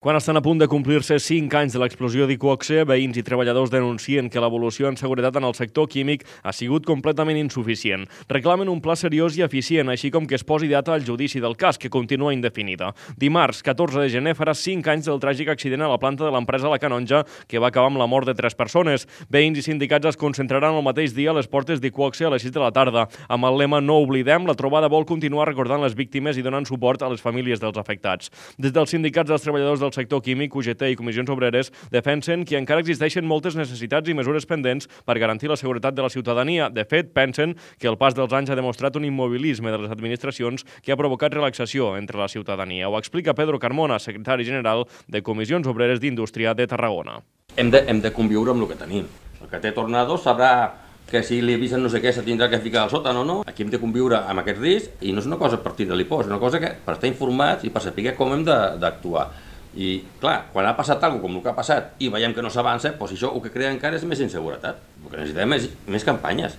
Quan estan a punt de complir-se 5 anys de l'explosió d'Iqoxe, veïns i treballadors denuncien que l'evolució en seguretat en el sector químic ha sigut completament insuficient. Reclamen un pla seriós i eficient, així com que es posi data al judici del cas, que continua indefinida. Dimarts, 14 de gener, farà 5 anys del tràgic accident a la planta de l'empresa La Canonja, que va acabar amb la mort de 3 persones. Veïns i sindicats es concentraran el mateix dia a les portes d'Iqoxe a les 6 de la tarda. Amb el lema "No oblidem", la trobada vol continuar recordant les víctimes i donant suport a les famílies dels afectats. Des dels sindicats dels treballadors del sector químic, UGT i Comissions Obreres defensen que encara existeixen moltes necessitats i mesures pendents per garantir la seguretat de la ciutadania. De fet, pensen que el pas dels anys ha demostrat un immobilisme de les administracions que ha provocat relaxació entre la ciutadania. Ho explica Pedro Carmona, secretari general de Comissions Obreres d'Indústria de Tarragona. Hem de conviure amb el que tenim. El que té tornados sabrà que si li avisen no sé què se tindrà que ficar al sòtan o no. Aquí hem de conviure amb aquest risc i no és una cosa per tirar-li por, és una cosa que per estar informats i per saber com hem d'actuar. I, clar, quan ha passat alguna cosa com el que ha passat i veiem que no s'avança, doncs això el que crea encara és més inseguretat. El que necessitem és més campanyes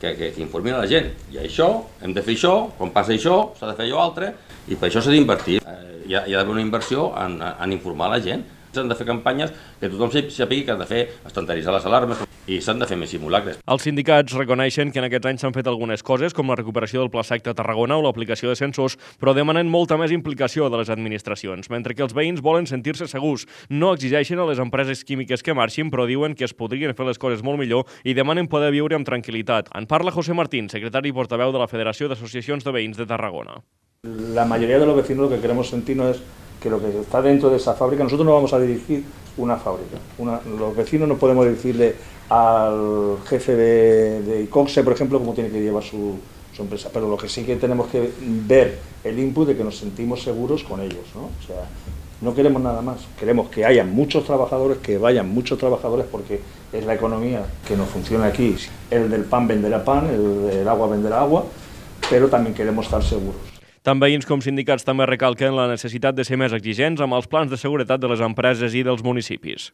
que informin a la gent. I això, hem de fer això, quan passa això, s'ha de fer allò altre, i per això s'ha d'invertir. Hi ha d'haver una inversió en informar la gent. S'han de fer campanyes que tothom sàpiga que han de fer estanteritzar les alarmes i s'han de fer més simulacres. Els sindicats reconeixen que en aquests anys s'han fet algunes coses, com la recuperació del Pla Sec de Tarragona o l'aplicació de sensors, però demanen molta més implicació de les administracions, mentre que els veïns volen sentir-se segurs. No exigeixen a les empreses químiques que marxin, però diuen que es podrien fer les coses molt millor i demanen poder viure amb tranquil·litat. En parla José Martín, secretari i portaveu de la Federació d'Associacions de Veïns de Tarragona. La mayoría de los vecinos lo que queremos sentirnos es que lo que está dentro de esa fábrica, nosotros no vamos a dirigir una fábrica. Los vecinos no podemos decirle al jefe de Iqoxe, por ejemplo, cómo tiene que llevar su empresa, pero lo que sí que tenemos que ver el input de que nos sentimos seguros con ellos, ¿no? O sea, no queremos nada más, queremos que haya muchos trabajadores, que vayan muchos trabajadores, porque es la economía que nos funciona aquí. El del pan venderá pan, el del agua venderá agua, pero también queremos estar seguros. Tant veïns com sindicats també recalquen la necessitat de ser més exigents amb els plans de seguretat de les empreses i dels municipis.